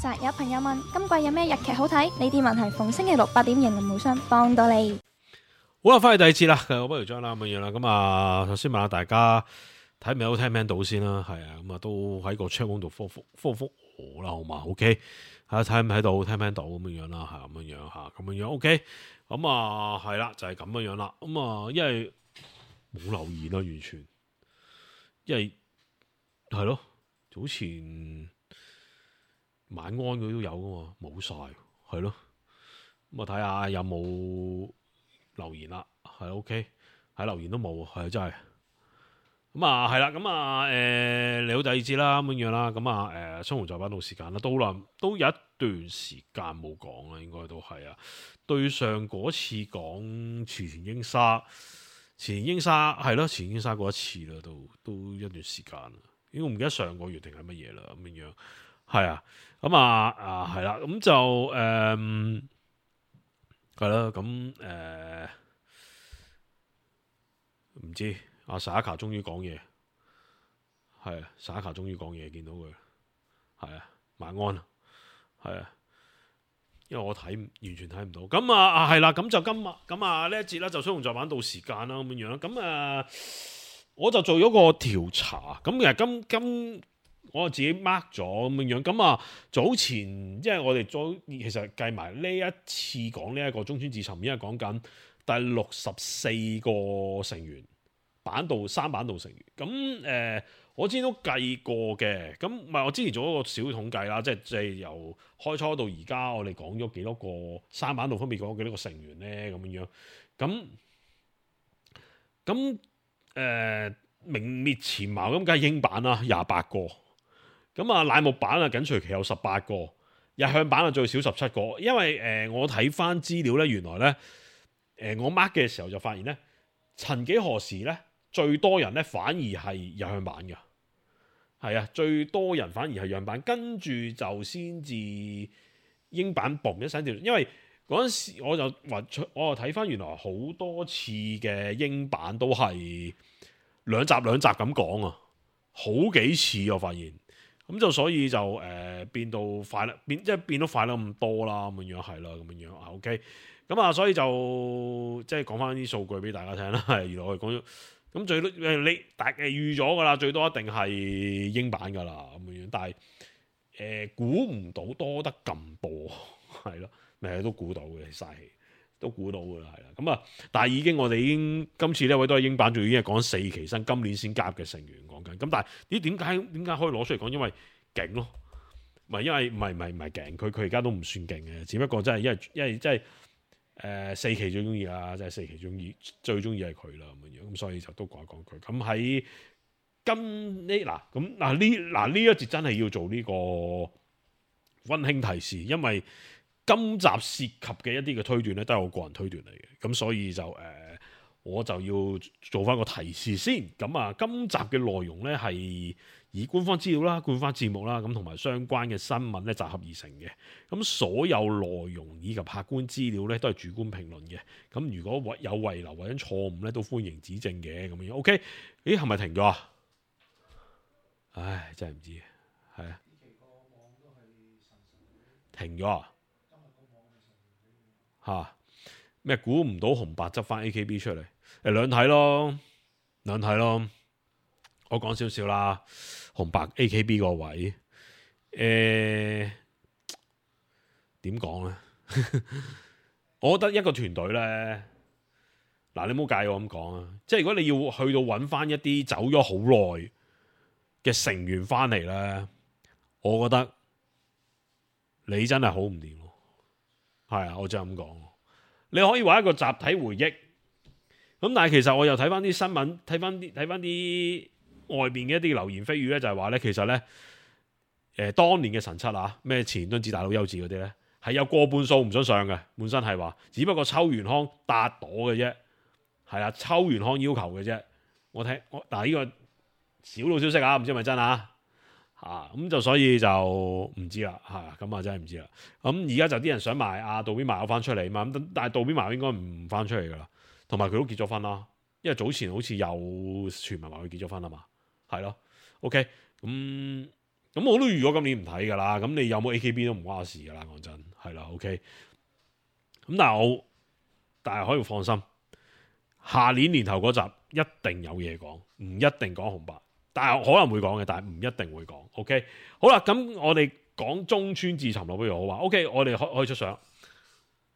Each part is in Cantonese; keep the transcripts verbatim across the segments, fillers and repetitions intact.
實有朋友問今季有咩日劇好睇？呢啲問題逢星期六八點迎林無雙幫到你。好啦，翻去第二節啦，我不如將啦咁樣啦。咁啊，首先問下大家睇唔睇到聽唔聽到先啦，係啊，咁啊都喺個 channel 度覆覆覆覆我啦，好嘛 ？OK，睇睇唔睇到，聽唔聽到咁樣樣啦，係咁樣樣吓，咁樣樣 OK。咁啊係啦，就係咁樣樣啦。咁啊，因為冇留言啦，完全，因為係咯，早前晚安佢都有噶嘛，冇晒，係咯。咁啊睇下有冇留言啦，係 OK， 喺留言都冇，係真係。咁啊係啦，咁啊誒嚟到第二節啦，咁樣樣啦，咁啊誒雙雄再版到時間啦，都好耐，都有一段時間冇講啦，應該都係啊。對上嗰次講池田英沙，池田英沙係咯，池田英沙過一次啦，都都一段時間啦，應該唔記得上個月定係乜嘢啦，咁樣樣係啊，咁啊啊係啦，咁就誒係啦，咁誒唔知阿 Saka 終於講嘢，係啊 Saka 終於講嘢，見到佢係啊，晚安係啊。因為我睇完全睇唔到，咁啊啊係啦，咁就今日咁啊呢一節咧就雙雄再版到時間啦咁樣樣，咁啊我就做咗個調查，咁其實今今我自己 mark 咗咁樣樣，咁啊早前即係我哋早其實計埋呢一次講呢一個中村智尋，因為講緊第六十四個成員版道三版道成員，咁誒。呃我之前都計過嘅，咁唔係我之前做一個小統計啦，即係即係由開初到而家，我哋講咗幾多個三版度分別講咗幾多個成員咧，咁樣樣，咁咁誒名列前茅咁，梗係英版啦，廿八個，咁啊乃木版啊緊隨其後十八個，日向版啊最少十七個，因為誒、呃、我睇翻資料咧，原來咧誒、呃、我 mark 嘅時候就發現咧，曾幾何時咧最多人咧反而係日向版嘅。係啊，最多人反而係樣版，跟住就先至英版嘣一聲跳，因為嗰陣時我就話，我就睇翻原來好多次嘅英版都係兩集兩集咁講啊，好幾次我發現，咁就所以就誒、呃、變到快啦，變即係變到快得咁多啦，咁樣樣係啦，咁樣樣啊 OK，咁啊所以就即係講翻啲數據俾大家聽啦，係原來我哋講咗。咁最多誒你大誒預咗噶啦，最多一定係英版噶啦咁樣，但係誒估唔到多得咁多，係咯，咪都估到嘅，嘥氣都估到噶啦，係啦。咁啊，但係已經我哋已經今次呢位都係英版，仲已經係講四期新，今年先加入嘅成員講緊。咁但係咦點解點解可以攞出嚟講？因為勁咯，唔係因為唔係唔係唔係勁，佢佢而家都唔算勁嘅，只不過真係因為因為真係。誒、呃、四期最中意啦，即係四期中意最中意係佢啦咁樣，咁所以就都講一講佢。咁喺今呢嗱咁嗱呢嗱呢一節真係要做呢個溫馨提示，因為今集涉及嘅一啲嘅推斷咧，都係我個人推斷嚟嘅，咁所以就誒、呃、我就要做翻個提示先。咁啊，今集嘅內容咧係以官方資料啦、官方節目啦，咁同埋相關嘅新聞咧集合而成嘅。咁所有內容以及客觀資料咧都係主觀評論嘅。咁如果有遺留或者錯誤咧，都歡迎指正嘅。咁樣 OK？ 咦，係咪停咗啊？唉，真係唔知，係啊，停咗啊？嚇咩？估唔到紅白執翻 A K B 出嚟，誒兩睇咯，兩睇咯。我講少少啦，紅白 A K B 個位，誒點講咧？我覺得一個團隊咧，嗱你唔好介意我咁講啊，即係如果你要去到揾翻一啲走咗好耐嘅成員翻嚟咧，我覺得你真係好唔掂咯。係啊，我就咁講。你可以話一個集體回憶，咁但係其實我又睇翻啲新聞，睇翻啲睇翻啲。外邊嘅一啲流言蜚語咧，就係話咧，其實咧，誒、呃、當年嘅神七啊，咩前敦子大佬優子嗰啲咧，係有過半數唔想上嘅，本身係話，只不過秋元康搭朵嘅啫，係啦，秋元康要求嘅啫。我聽我嗱呢個小道消息啊，唔知係咪真啊？啊咁就所以就唔知啦，嚇咁啊真係唔知啦。咁而家就啲人想賣阿渡邊麻友翻出嚟嘛，咁但係渡邊麻友應該唔翻出嚟噶啦，同埋佢都結咗婚啦，因為早前好似有傳聞話佢結咗婚啊嘛。係咯 ，OK，咁咁我都預咗今年唔睇㗎啦。咁你有冇 A K B 都唔關我事㗎啦，講真係啦。OK。咁但係我但係可以放心，下年年頭嗰集一定有嘢講，唔一定講紅白，但係可能會講嘅，但係唔一定會講。OK。好啦，咁我哋講中村智尋咯，不如我話 OK，我哋可可以出相。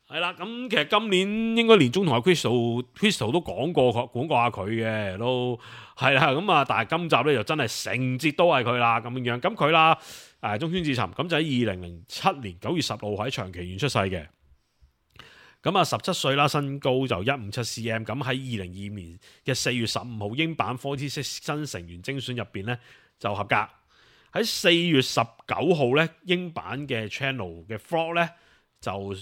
係啦，咁其實今年應該年中同阿 Crystal Crystal 都講過講過下佢嘅，都係啦，咁啊，但係今集咧就真係成節都係佢啦，咁樣樣，咁佢啦，誒中村智尋，咁就喺二零零七年九月十號喺長崎縣出世嘅，咁啊十七歲啦，身高就一五七 cm，咁喺二零二五年嘅四月十五號英版四十六新成員精選入邊咧就合格，喺四月十九號咧英版嘅 channel 嘅 vlog 咧就。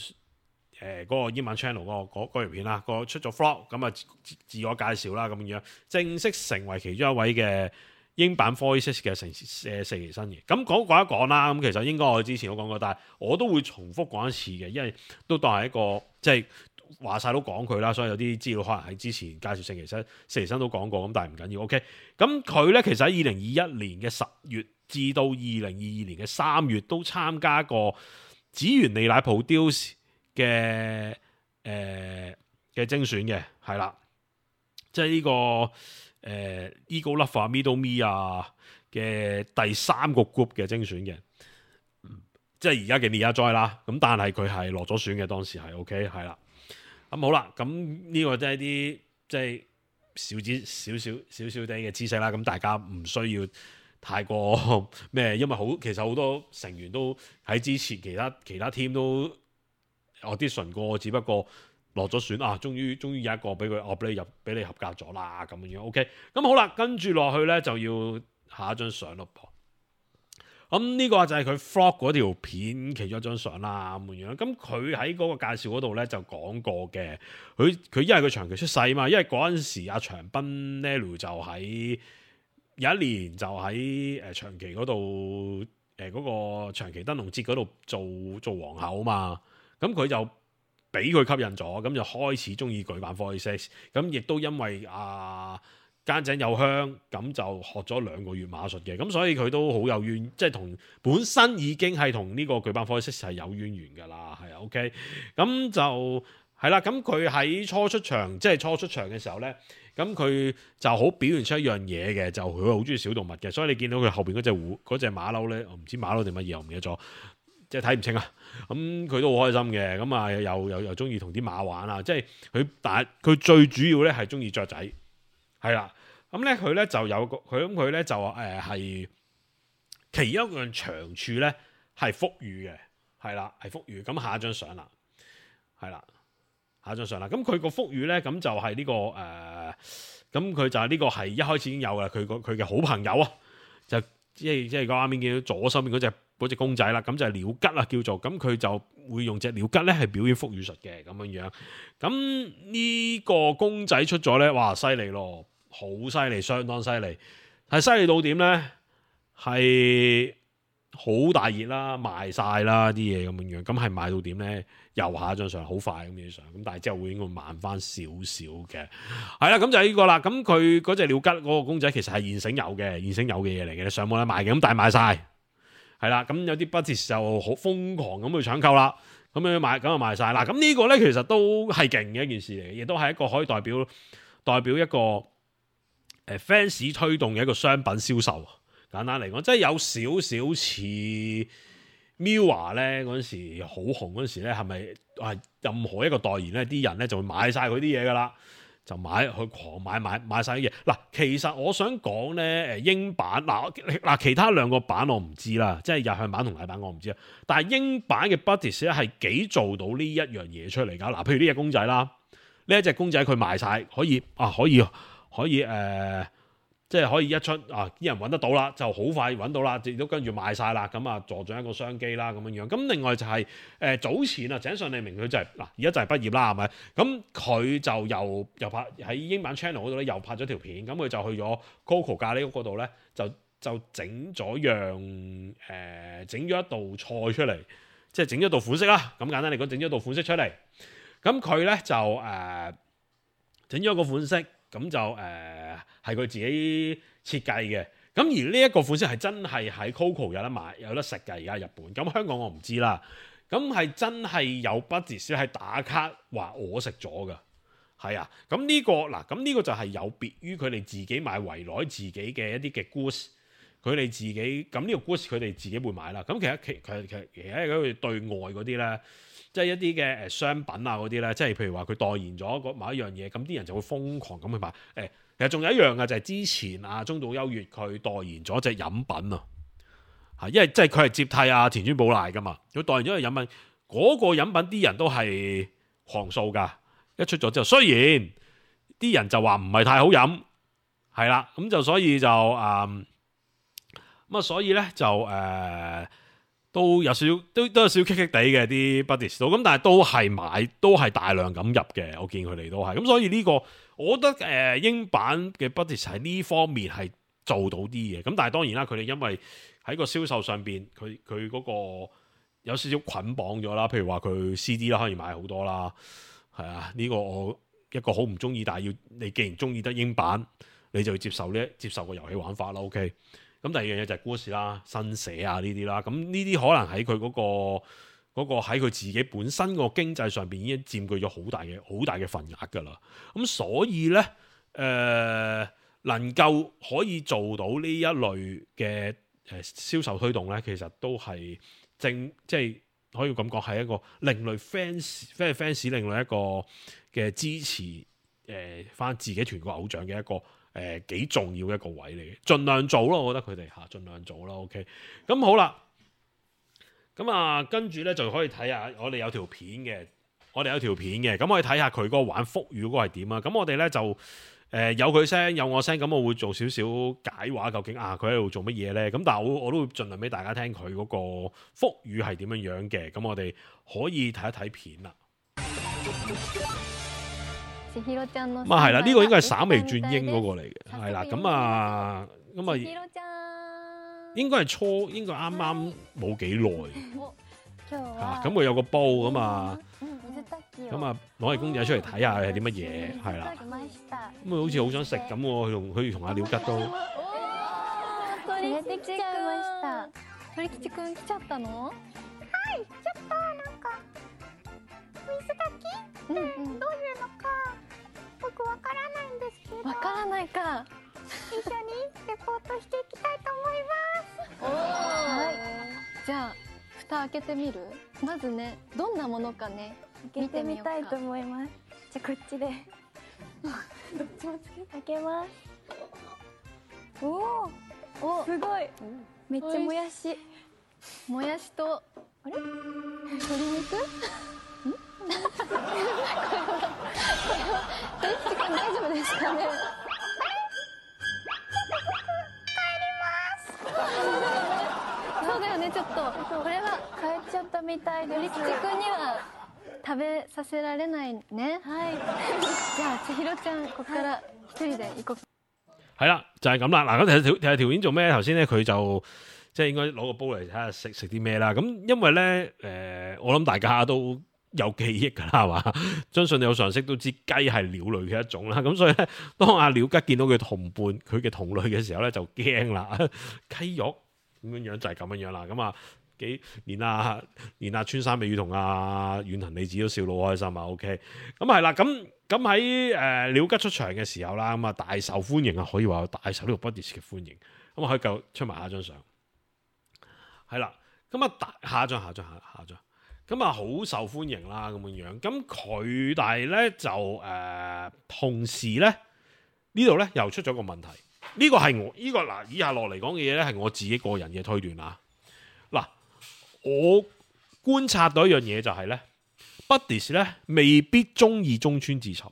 誒嗰、呃那個英文 channel 嗰、那個嗰條片啦，個出咗 vlog 咁啊自，自我介紹啦咁樣，正式成為其中一位嘅英版四十六嘅成誒四期新嘅。咁講講一講啦，咁其實應該我之前都講過，但係我都會重複講一次嘅，因為都當係一個即係話晒都講佢啦，所以有啲資料可能喺之前介紹四期新四期新都講過，咁但係唔緊要。OK，咁佢咧其實喺二零二一年嘅十月至到二零二二年嘅三月都參加過紫原利乃 produce嘅誒嘅精選嘅係啦，即係呢、這個誒、呃、Ego Lover Middle Me 啊嘅第三個 group 嘅精選嘅，即係而家嘅 Nia Joy 啦。咁但係佢係落咗選嘅，當時係 OK 係啦。咁好啦，咁呢個即係啲即係少知少少少少啲嘅知識啦。咁大家唔需要太過咩，因為好其實好多成員都喺之前其他其他 team 都。audition過，只不過落咗選啊，終於終於有一個俾佢，我俾你入，俾你合格咗啦，咁樣樣 OK。咁好啦，跟住落去咧就要下一張相咯噃。咁呢個就係佢 vlog 嗰條片其中一張相啦，咁樣。咁佢喺嗰個介紹嗰度咧就講過嘅，佢佢因為佢長期出世啊嘛，因為嗰陣時阿長濱 Nelu 就喺有一年就喺誒長崎嗰度誒嗰個長崎燈籠節嗰度做做皇后啊嘛。咁佢就俾佢吸引咗，咁就開始中意舉辦四十六，咁亦都因為啊間井有香，咁就學咗兩個月馬術嘅，咁所以佢都好有淵，即係同本身已經係同呢個舉辦四十六係有淵源㗎啦，係啊 OK，咁就係啦，咁佢喺初出場，即係初出場嘅時候咧，咁佢就好表現出一樣嘢嘅，就佢好中意小動物嘅，所以你見到佢後邊嗰隻狐嗰隻馬騮咧，我唔知馬騮定乜嘢，我唔記得咗。即係睇唔清啊！咁、嗯、佢都好開心嘅，咁啊又又又中意同啲馬玩啊！即係佢，但係佢最主要咧係中意雀仔，係啦。咁咧佢咧就有個佢咁佢咧就誒係、呃、其中一樣長處咧係腹語嘅，係啦係腹語。咁下一張相啦，係啦下一張相啦。咁佢個腹語咧咁就係呢、這個誒，咁、呃、佢就係呢個係一開始已經有嘅。佢個佢嘅好朋友啊，就即係即係個畫面見到左手邊嗰隻。嗰隻公仔啦，咁就係鳥吉啦，叫做咁佢就會用隻鳥吉咧係表演腹語術嘅咁樣樣。咁呢個公仔出咗咧，哇犀利咯，好犀利，相當犀利，係犀利到點咧？係好大熱啦，賣晒啦啲嘢咁樣樣。咁係賣到點咧？又下一張相，好快咁樣相。咁但係之後會應該慢翻少少嘅。係啦，咁就係呢個啦。咁佢嗰隻鳥吉嗰個公仔其實係現成有嘅，現成有嘅嘢嚟嘅，你上網咧賣嘅。咁但係賣晒。係啦，咁有啲 buddies 就好瘋狂咁去搶購啦，咁樣賣，咁就賣晒。嗱，咁呢個咧其實都係勁嘅一件事嚟嘅，亦都係一個可以代表代表一個誒 fans 推動嘅一個商品銷售。簡單嚟講，即係有少少似 Mirror 咧嗰陣時好紅嗰陣時咧，係咪係任何一個代言咧，啲人咧就會買晒佢啲嘢噶啦？就買去狂買買買曬啲嘢嗱，其實我想講咧，誒英版嗱嗱其他兩個版我唔知啦，即係日向版同禮版我唔知啊。但係英版嘅 Buddies 咧係幾做到呢一樣嘢出嚟㗎嗱，譬如呢隻公仔啦，呢一隻公仔佢賣晒，可以啊，可以可以誒。呃即係可以一出啊，啲人揾得到啦，就好快揾到啦，亦都跟住賣晒啦，咁啊助長一個商機啦，咁樣樣。咁另外就係、是、誒、呃、早前啊，井上利明佢就係、是、嗱，而家就係畢業啦，係咪？咁佢就又又拍喺英版 channel 嗰度咧，又拍咗條片，咁佢就去咗 Coco 咖喱屋嗰度咧，就就整咗樣誒，整、呃、咗一道菜出嚟，即係整咗道款式啦。咁簡單嚟講，整咗道款式出嚟。咁佢咧就誒整咗個款式。咁就誒係佢自己設計嘅，咁咁而呢一個款式係真係喺 Coco 有得買有得食嘅，而家日本。咁香港我唔知啦。咁係真係有 Buddies 係打卡話我食咗㗎。係啊，咁呢、這個嗱，咁呢個就係有別於佢哋自己買圍內自己嘅一啲嘅 goods，佢哋自己咁呢個 goods 佢哋自己會買啦。咁其實其其其其實佢哋對外嗰啲咧，即係一啲嘅誒商品啊嗰啲咧，即係譬如話佢代言咗某一樣嘢，咁啲人就會瘋狂咁去買。誒，其實仲有一樣嘅就係之前啊中島優月佢代言咗隻飲品啊，嚇，因為即係佢係接替啊田村寶瀨噶嘛，佢代言咗隻飲品，嗰、那個飲品啲人都係狂掃㗎。一出咗之後，雖然啲人就話唔係太好飲，係啦，咁就所以就誒咁啊，所以咧就誒、呃、都有少少都都有少少棘棘地嘅啲 Buddies 都，咁但係都係買都係大量咁入嘅，我見佢哋都係咁，所以呢、這個我覺得誒、呃、英版嘅 Buddies 喺呢方面係做到啲嘢，咁但係當然啦，佢哋因為喺個銷售上邊，佢佢嗰個有少少捆綁咗啦，譬如話佢 C D 啦，可以買好多啦。係啊，呢、這個我一個好唔中意，但係要你既然中意得英版，你就要接受呢接受個遊戲玩法啦。OK，咁第二樣嘢就係故事啦、新寫啊呢啲啦。咁呢啲可能喺佢嗰個嗰個喺佢自己本身個經濟上邊已經佔據咗好大嘅好大嘅份額㗎啦。咁所以咧，誒、呃、能夠可以做到呢一類嘅誒銷售推動咧，其實都係正即係。可以咁講係一個另類 fans，即係 fans 另類一個嘅支持誒翻、呃、自己團個偶像嘅一個誒幾、呃、重要嘅一個位嚟嘅，盡量做咯，我覺得佢哋嚇盡量做啦 OK，咁好啦，咁啊跟住咧就可以睇下我哋有條片嘅，我哋有條片嘅，咁可以睇下佢嗰個玩福語嗰個係點啊，咁我哋咧就。誒、呃、有佢聲有我聲，咁我會做少少解話，究竟啊佢喺度做乜嘢咧？咁但係我我都會盡量俾大家聽佢嗰個福語係點樣樣嘅。咁我哋可以睇一睇片啦。咁啊係啦，呢、這個應該係稍微轉英嗰個嚟嘅，係啦。咁啊咁啊，應該係初，應該啱啱冇幾耐嚇。咁佢有個煲咁啊。咁啊，攞嚟公仔出嚟睇下係啲乜嘢，係啦。咁啊，好似好想食咁喎，佢同佢同阿廖吉都。鳥吉くん來ちゃったの？はい、ちょっとなんか水炊き？うんうん。どういうのか僕わからないんですけど。わからないか。一緒にレポートしていきたいと思います。はい。じゃあ蓋開けてみる？まずね、どんなものかね。見てみたいと思います。じゃあこっちでどっちもつけて開けます。おお、すごい。めっちゃもやし。もやしとあれ？鶏肉？ん？大吉くん大丈夫ですかね？帰ります。そうだよね、ちょっとこれは帰っちゃったみたいです。鳥吉くんには食べさせられないね。係。じゃあ千尋ちゃんここから一人で行こう。係啦，就係咁啦。嗱，咁睇條睇條片做咩？頭先咧佢就即係應該攞個煲嚟睇下食食啲咩啦。咁因為咧誒、呃，我諗大家都有記憶㗎啦，係嘛？相信你有常識都知雞係鳥類嘅一種啦。咁所以咧，當阿鳥吉見到佢同伴佢嘅同類嘅時候咧，就驚啦。雞肉咁樣樣就係咁樣樣啦。咁啊〜幾連阿連阿川山美宇同阿遠藤理子都笑到好開心啊 ！OK， 咁係啦，咁咁喺誒鳥吉出場嘅時候啦，咁啊大受歡迎啊，可以話大受呢個 Buddies 嘅歡迎。咁啊可以夠出埋下張相，係啦，咁啊大下張下張下下張，咁啊好受歡迎啦咁樣樣。咁佢但係咧就誒、呃、同時咧呢度咧又出咗個問題，呢、呢個係我呢、呢個嗱以下落嚟講嘅嘢咧係我自己個人嘅推斷啊，嗱。我觀察到一樣嘢就係咧 Buddies 咧未必中意中村智尋，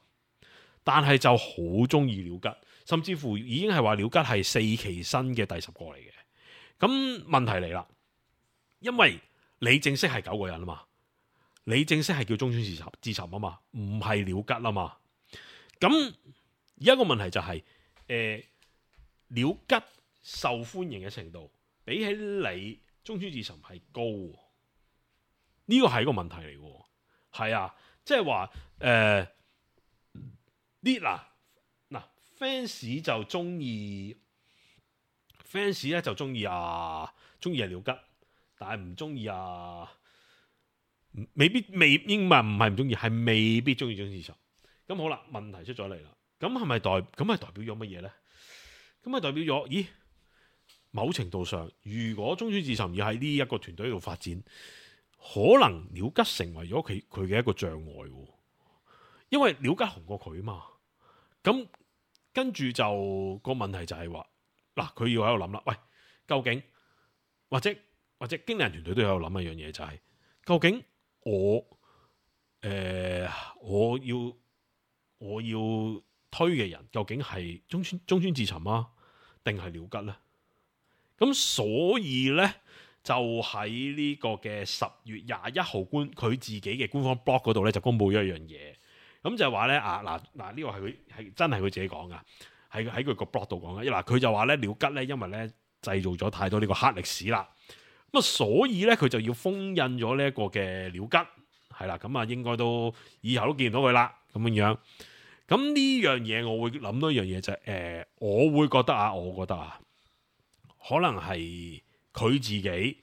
但係就好中意鳥吉，甚至乎已經係話鳥吉係四期生嘅第十個嚟嘅。咁問題嚟啦，因為你正式係九個人啊嘛，你正式係叫中村智尋智尋啊嘛，唔係鳥吉啊嘛。咁而家個問題就係、是，誒、呃、鳥吉受歡迎嘅程度比起你。中村智尋係高，呢個係一個問題嚟嘅，係啊，即係話誒啲嗱嗱 fans 就中意 fans 咧就中意啊，中意係廖吉，但係唔中意啊，未必未應該唔係唔中意，係未必中意中村智尋。咁好啦，問題出咗嚟啦，咁係咪代咁係代表咗乜嘢咧？咁係代表咗，咦？某程度上，如果中村智尋要喺呢一個團隊度發展，可能廖吉成為咗佢佢嘅一個障礙，因為廖吉紅過佢嘛。咁跟住就個問題就係話，嗱，佢要喺度諗啦，喂，究竟或者或者經理人團隊都有諗一樣嘢，就係、是、究竟我誒、呃、我要我要推嘅人，究竟係中村中村智尋啊，定係廖吉咧？咁所以咧，就喺呢個嘅十月廿一號官佢自己嘅官方 blog 嗰度咧，就公布咗一樣嘢。咁就係話咧啊，嗱嗱呢個係佢係真係佢自己講噶，係喺佢個 blog 度講嘅。嗱，佢就話咧，廖吉咧，因為咧製造咗太多呢個黑歷史啦，咁啊所以咧佢就要封印咗呢一個嘅廖吉，係啦，咁啊應該都以後都見唔到佢啦，咁樣樣。咁呢樣嘢我會諗到一樣嘢就係、是、誒、呃，我會覺得啊，我覺得啊，可能係佢自己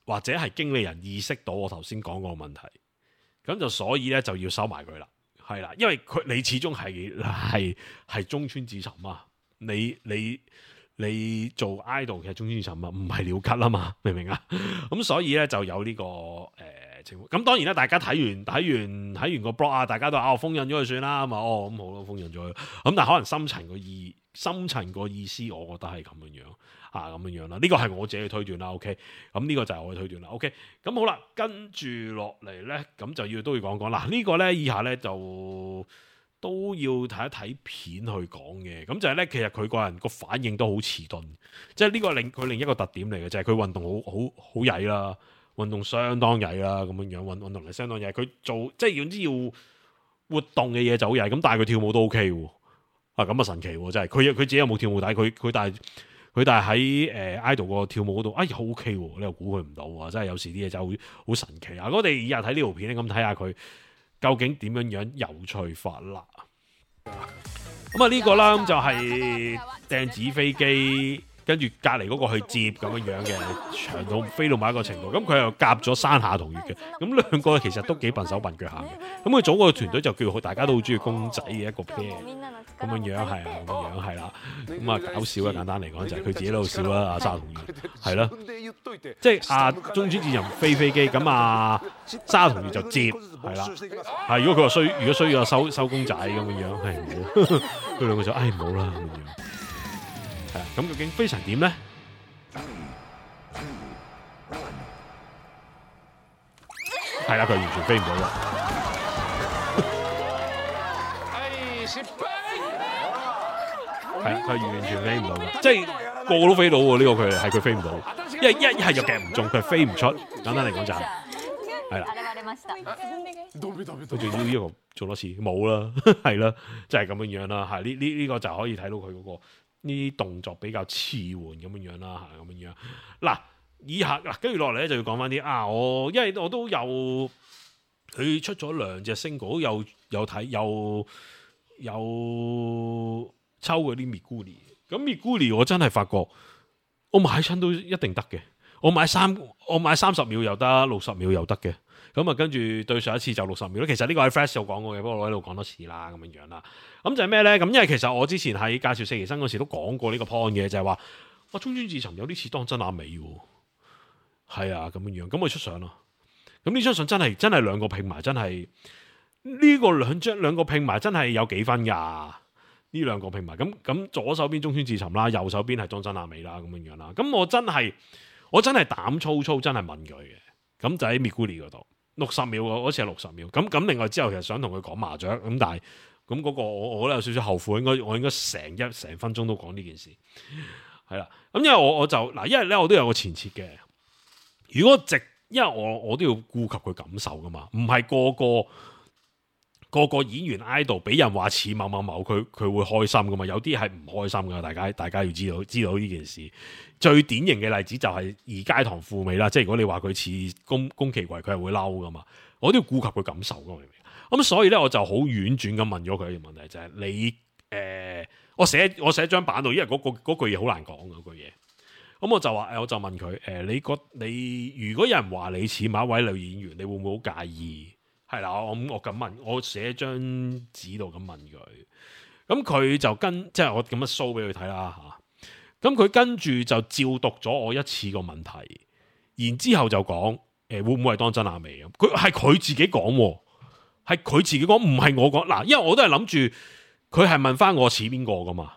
或者係經理人意識到我頭先講個問題，咁就所以咧就要收埋佢啦。係啦，因為佢你始終係係係中村智尋啊，你你你做 idol 嘅中村智尋啊，唔係廖吉啊嘛，明唔明啊？咁所以咧就有呢、這個誒、呃、情況。咁當然啦，大家睇完睇完睇完個 blog 啊，大家都話哦封印咗佢算啦，咁啊哦咁好咯，封印咗佢。咁但係可能深層個意深層個意思，我覺得係咁樣樣啊，咁樣樣啦。呢個係我自己嘅推斷啦。OK，咁呢個就係我嘅推斷啦。OK，咁好啦，跟住落嚟咧，咁就要都要講講嗱，這個、呢個咧以下咧就都要睇一睇片去講嘅。咁就係咧，其實佢個人個反應都好遲鈍，即係呢個另佢另一個特點嚟嘅，就係、是、佢運動好好好曳啦，運動相當曳啦，咁樣樣運運動係相當曳。佢做即係總之要活動嘅嘢就好曳，咁但係佢跳舞都 OK 喎。啊咁啊神奇喎！真係佢佢自己有冇跳舞帶？佢佢但係佢但係喺誒 idol 個跳舞嗰度，哎呀 OK 喎！你又估佢唔到啊！真係有時啲嘢就好好神奇啊！我哋以日睇呢條片咧，咁睇下佢究竟點樣樣有趣法啦。咁啊呢個啦，咁就係掟紙飛機，跟住隔離嗰個去接咁樣樣嘅長度飛到某一個程度，咁佢又夾咗山下同月嘅，咁兩個其實都幾笨手笨腳下嘅。咁佢組個團隊就叫大家都好中意公仔嘅一個 pair。咁樣樣係啊，咁樣樣係啦，咁啊搞笑啊！簡單嚟講就係佢自己喺度笑啦，阿沙同月係咯，即係阿中村智尋飛飛機，咁啊沙同月就接係啦，係如果佢話衰，如果衰咗收收公仔咁樣樣，係唔好，佢兩個就唉唔好啦咁樣樣，係啊，咁究竟飛成點咧？係啦，佢完全飛唔到啦。係啊，佢完全飛唔到嘅，即係個個都飛到喎。呢、這個佢係佢飛唔到，因為一一係就夾唔中，佢飛唔出。簡單嚟講就係係啦，佢仲要呢個做多次冇啦，係啦，就係、是、咁樣樣啦。係呢呢呢個就可以睇到佢嗰、那個呢啲動作比較遲緩咁樣樣啦，係咁樣樣。嗱，以下嗱跟住落嚟咧就要講翻啲啊，我因為我都有佢出咗兩隻 single，有有睇有有。有抽嗰啲 Miguri， 咁 Miguri 我真係發覺，我買親都一定得嘅。我買三，我買三十秒又得，六十秒又得嘅。咁啊，跟住對上一次就六十秒。其實呢個喺 Flash 有講過嘅，不過我喺度講多次啦，咁樣樣啦。咁就係咩咧？咁因為其實我之前喺介紹四期生嗰時都講過呢個 point 嘅，就係話，哇，中村智尋有啲似當真阿美喎。係啊，咁樣樣，咁佢出相咯。咁呢張相真係真係兩個拼埋，真係呢個兩張兩個拼埋真係有幾分㗎。呢兩個拼埋，咁咁左手邊中村智尋啦，右手邊係當真阿美啦，咁樣樣啦。咁我真係我真係膽粗粗，真係問佢嘅。咁就喺 Miguri 嗰度，六十秒嗰次係六十秒。咁咁另外之後其實想同佢講麻雀，咁但係咁嗰個我我覺得有少少後悔，應該我應該成一成分鐘都講呢件事，係啦。咁因為我我就嗱，因為咧我都有個前設嘅。如果直，因為我我都要顧及佢感受噶嘛，唔係個個。個個演員 idol 俾人話似某某某，佢佢會開心噶嘛？有啲係唔開心噶，大家大家要知道知道呢件事。最典型嘅例子就係二階堂富美啦，即係如果你話佢似宮宮崎葵，佢係會嬲噶嘛？我都要顧及佢感受噶，明唔明？咁所以咧，我就好婉轉咁問咗佢一個問題，就係、是、你誒、呃，我寫我寫張板度，因為嗰、那個、句嘢好難講嗰句嘢，咁我就話誒，我就問佢誒、呃，你覺你如果有人話你似某一位女演員，你會唔會好介意？係啦，我我咁問，我寫張紙度咁問佢，咁佢就跟即係我咁樣 show 俾佢睇啦嚇。咁佢跟住就照讀咗我一次個問題，然之後就講誒、呃、會唔會係當真阿美咁？佢係佢自己講，係佢自己講，唔係我講嗱，因為我都係諗住佢係問翻我似邊個噶嘛。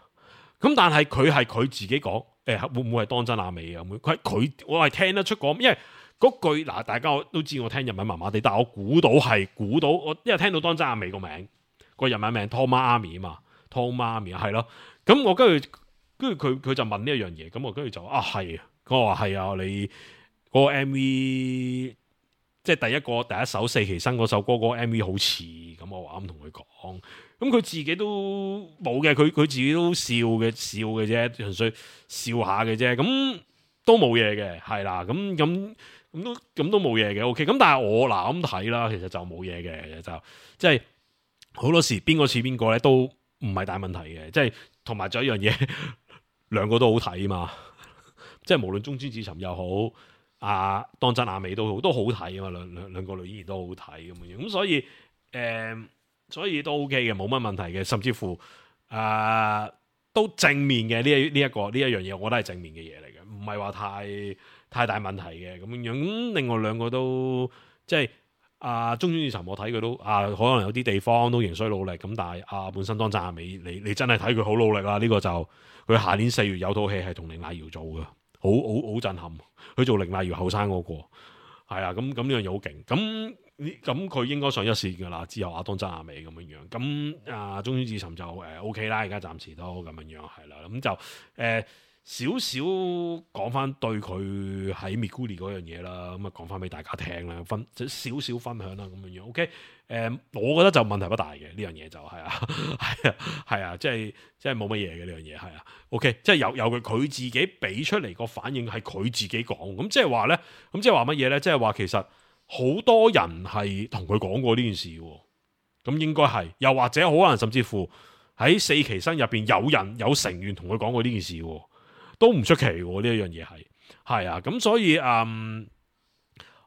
咁但係佢係佢自己講。誒會唔會係當真阿美啊？佢佢我係聽得出講，因為嗰句嗱，大家都知我聽日文麻麻地，但係我估到係估到，我因為聽到當真阿美個名個日文名 Tomomi 啊嘛 Tomomi 係咯，咁我跟住跟住佢佢就問呢一樣嘢，咁我跟住就啊係，我話係啊，你嗰個 M V 即係第一個第一首四期生嗰首歌嗰個 M V 好似，咁我話咁同佢講。咁佢自己都冇嘅，佢佢自己都笑嘅笑嘅啫，純粹笑下嘅啫，咁都冇嘢嘅，係啦，咁咁咁都咁都冇嘢嘅 ，OK，咁但係我嗱咁睇啦，其實就冇嘢嘅，就即係好多時邊個似邊個咧都唔係大問題嘅，即係同埋仲有一樣嘢，兩個都好睇嘛，即係無論中村智尋又好，啊當真阿美都好，都好睇啊嘛，兩兩兩個女演員都好睇咁樣，咁所以誒。呃所以都 OK 嘅，冇乜問題嘅，甚至乎誒、呃、都正面嘅呢一呢一個呢一樣嘢，我覺得係正面嘅嘢嚟嘅，唔係話太太大問題嘅咁樣。咁另外兩個都即係啊，中村智尋我睇佢都啊，可能有啲地方都仍需努力。咁但係啊，本身當真阿美，你你真係睇佢好努力啦。呢、這個就佢下年四月有套戲係同綾瀨遙做嘅，好好好震撼。佢做綾瀨遙後生嗰個係啊，咁咁呢樣嘢好勁咁。咁佢應該上一線噶啦，之後阿當真阿美咁樣樣，咁啊中村智尋就誒、呃、OK 啦，而家暫時都咁樣樣係啦，咁就誒少少講翻對佢喺 Meguri 嗰樣嘢啦，咁啊講翻俾大家聽啦，分少少分享啦咁樣樣 OK，誒、呃、我覺得就問題不大嘅呢樣嘢就係啊係啊係啊，即係即係冇乜嘢嘅呢樣嘢係啊 OK，即係由由佢佢自己俾出嚟個反應係佢自己講，咁即係話咧，咁即係話乜嘢咧？即係話其實。好多人係同佢講過呢件事，咁應該係，又或者可能甚至乎喺四期生入邊有人有成員同佢講過呢件事，都唔出奇呢一樣嘢係，係啊，咁所以嗯，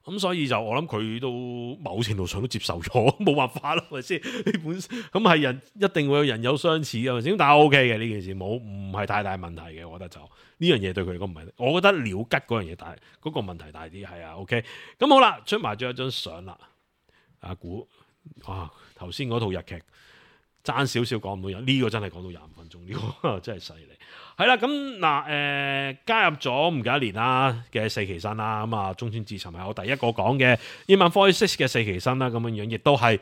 咁所以就我諗佢都某程度上都接受咗，冇辦法啦，係咪先？呢本咁係人一定會有人有相似嘅，係咪先？但係 O K 嘅呢件事，冇唔係太大問題嘅，我覺得就。呢樣嘢對佢嚟講唔係，我覺得了吉嗰樣嘢大，嗰、嗰個問題大啲，係啊 ，OK，咁好啦，出埋咗一張相啦，阿估，哇，頭先嗰套日劇爭少少講唔到人，呢、呢個真係講到廿五分鐘，呢、呢個真係犀利，係啦，咁嗱，誒加入咗唔夠一年啦嘅四期生啦，咁啊中村智尋係我第一個講嘅英文 Voice 嘅四期生啦，咁樣樣亦都係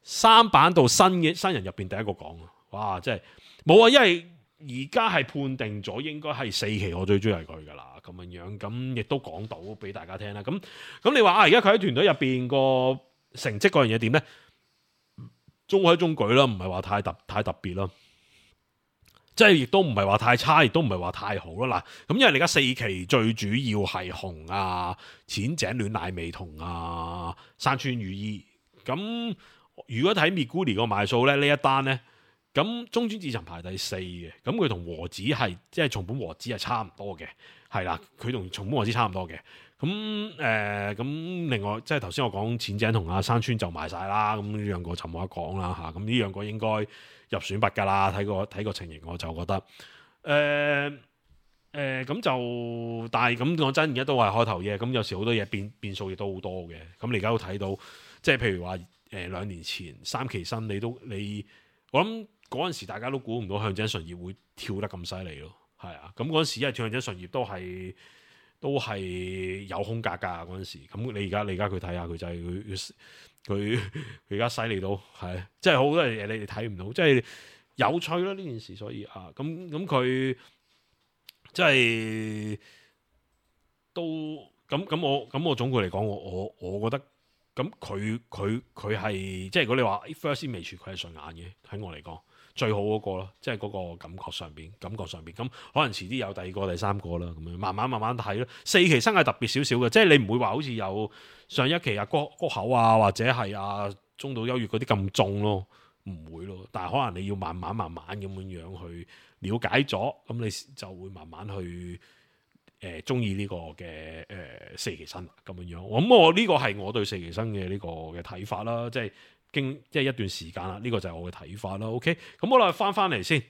三版到新嘅新人入邊第一個講，哇，真係冇啊，因為。而家係判定咗應該係四期，我最中意係佢噶啦，咁樣樣，咁亦都講到俾大家聽啦。咁咁你話啊，而家佢喺團隊入邊個成績嗰樣嘢點咧？中規中矩啦，唔係話太特太特別啦，即係亦都唔係話太差，亦都唔係話太好啦。嗱，咁因為你而家四期最主要係紅啊、淺井暖乃美同啊、山川裕衣。咁如果睇 Meguri 個賣數咧，呢一單咧。咁中村智尋排第四嘅，咁佢同和子係即係松本和子係差唔多嘅，係啦，佢同松本和子差唔多嘅。咁誒，咁、呃、另外即係頭先我講淺井同阿山川就賣晒啦，咁呢兩個就冇得講啦嚇。咁呢兩個應該入選拔㗎啦，睇個睇個情形我就覺得誒誒，咁、呃呃、就但係咁講真，而家都係開頭嘢，咁有時好多嘢變變數亦都好多嘅。咁你而家都睇到，即係譬如話誒、呃、兩年前三期生你都你我諗。嗰陣時大家都估唔到向井純葉會跳得咁犀利咯，係啊！咁嗰陣時因為向井純葉都係都係有空格㗎嗰陣時，咁你而家你而家佢睇下佢就係佢佢佢而家犀利到係，即係好多嘢你哋睇唔到，即係有趣啦呢件事，所以啊，咁咁佢即係都咁咁我咁我總括嚟講，我我我覺得咁佢佢佢係即係如果你話 first image 佢係順眼嘅，喺我嚟講。最好嗰個咯，即係嗰個感覺上邊，感覺上邊咁可能遲啲有第二個、第三個啦，咁樣慢慢慢慢睇咯。四期生係特別少少嘅，即係你唔會話好似有上一期啊谷谷口啊，或者係啊中島優月嗰啲咁重咯，唔會咯。但係可能你要慢慢慢慢咁樣樣去了解咗，咁你就會慢慢去誒中意呢個嘅誒、呃、四期生咁樣樣。咁我呢個係我對四期生嘅呢個嘅睇法啦，即係經即係一段時間啦，呢、這個就係我嘅睇法啦。OK，咁好啦，翻翻嚟先。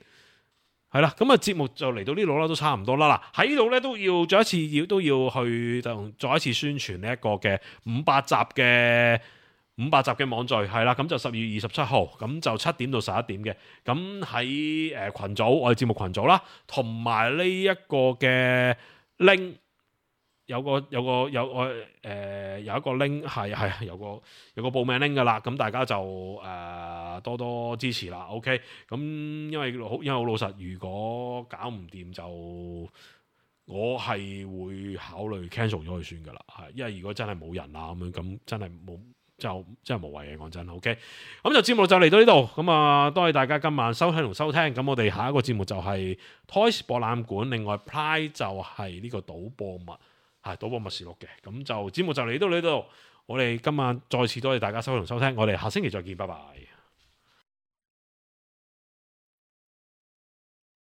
係啦，咁啊節目就嚟到呢度啦，都差唔多啦。嗱，喺呢度咧都要再一次要都要去就再一次宣傳呢一個嘅五百集嘅五百集嘅網聚係啦，咁就十二月二十七號，咁就七點到十一點嘅，咁喺誒群組我哋節目群組啦，同埋呢一個嘅 link。有個有個有個誒、呃、有一個 link 係係有個有個報名 link 噶啦，咁大家就誒、呃、多多支持啦。OK，咁因為好因為好老實，如果搞唔掂就我係會考慮 cancel 咗佢算噶啦，係因為如果真係冇人啊咁樣，咁真係冇就真係無謂嘅講真。OK，咁就節目就嚟到呢度，咁啊多謝大家今晚收聽同收聽，咁我哋下一個節目就係 Toys 博覽館，另外 Pride 就係呢個賭博物。係賭博默示錄嘅，咁就節目就嚟到呢度，我哋今晚再次多謝大家收聽同收聽，我哋下星期再見，拜拜。